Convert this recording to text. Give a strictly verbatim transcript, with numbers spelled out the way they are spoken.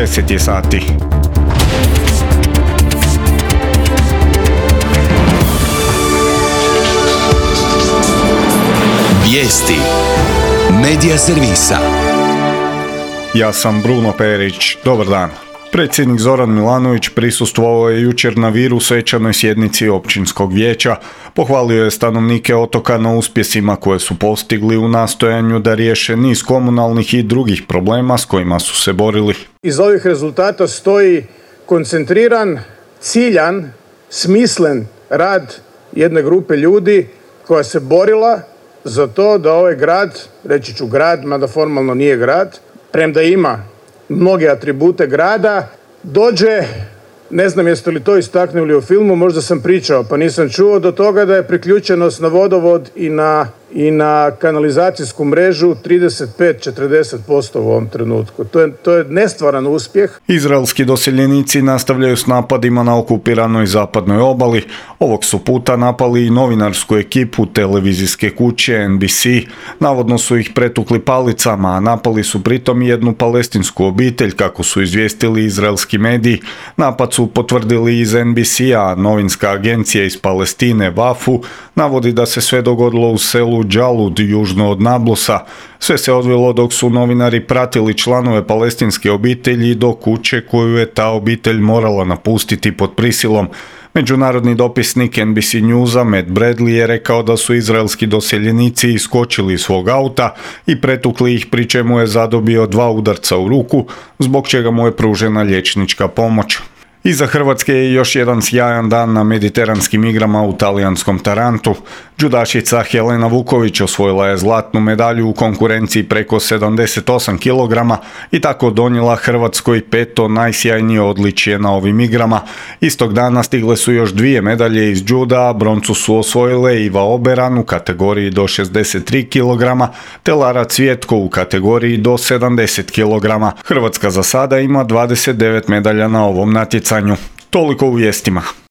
deset je sati. Vijesti Medija servisa. Ja sam Bruno Perić. Dobar dan. Predsjednik Zoran Milanović prisustvovao je jučer na Viru svečanoj sjednici općinskog vijeća. Pohvalio je stanovnike otoka na uspjesima koje su postigli u nastojanju da riješe niz komunalnih i drugih problema s kojima su se borili. Iz ovih rezultata stoji koncentriran, ciljan, smislen rad jedne grupe ljudi koja se borila za to da ovaj grad, reći ću grad, mada formalno nije grad, premda ima mnoge atribute grada, dođe, ne znam jeste li to istaknuli u filmu, možda sam pričao pa nisam čuo, do toga da je priključenost na vodovod i na, i na kanalizacijsku mrežu trideset pet do četrdeset posto u ovom trenutku. To je, to je nestvaran uspjeh. Izraelski doseljenici nastavljaju s napadima na okupiranoj zapadnoj obali. Ovog su puta napali i novinarsku ekipu televizijske kuće N B C. Navodno su ih pretukli palicama, a napali su pritom i jednu palestinsku obitelj, kako su izvijestili izraelski mediji. Napad su potvrdili iz N B C-a, novinska agencija iz Palestine Vafu navodi da se sve dogodilo u selu Džalud, južno od Nablusa. Sve se odvilo dok su novinari pratili članove palestinske obitelji do kuće koju je ta obitelj morala napustiti pod prisilom. Međunarodni dopisnik N B C Newsa Matt Bradley je rekao da su izraelski doseljenici iskočili iz svog auta i pretukli ih, pri čemu je zadobio dva udarca u ruku, zbog čega mu je pružena liječnička pomoć. Iza Hrvatske je još jedan sjajan dan na mediteranskim igrama u talijanskom Tarantu. Džudašica Helena Vuković osvojila je zlatnu medalju u konkurenciji preko sedamdeset osam kilograma i tako donijela Hrvatskoj peto najsjajnije odličje na ovim igrama. Istog dana stigle su još dvije medalje iz džuda, broncu su osvojile Iva Oberan u kategoriji do šezdeset tri kilograma, te Lara Cvjetko u kategoriji do sedamdeset kilograma. Hrvatska za sada ima dvadeset devet medalja na ovom natjecanju. Toliko u vijestima.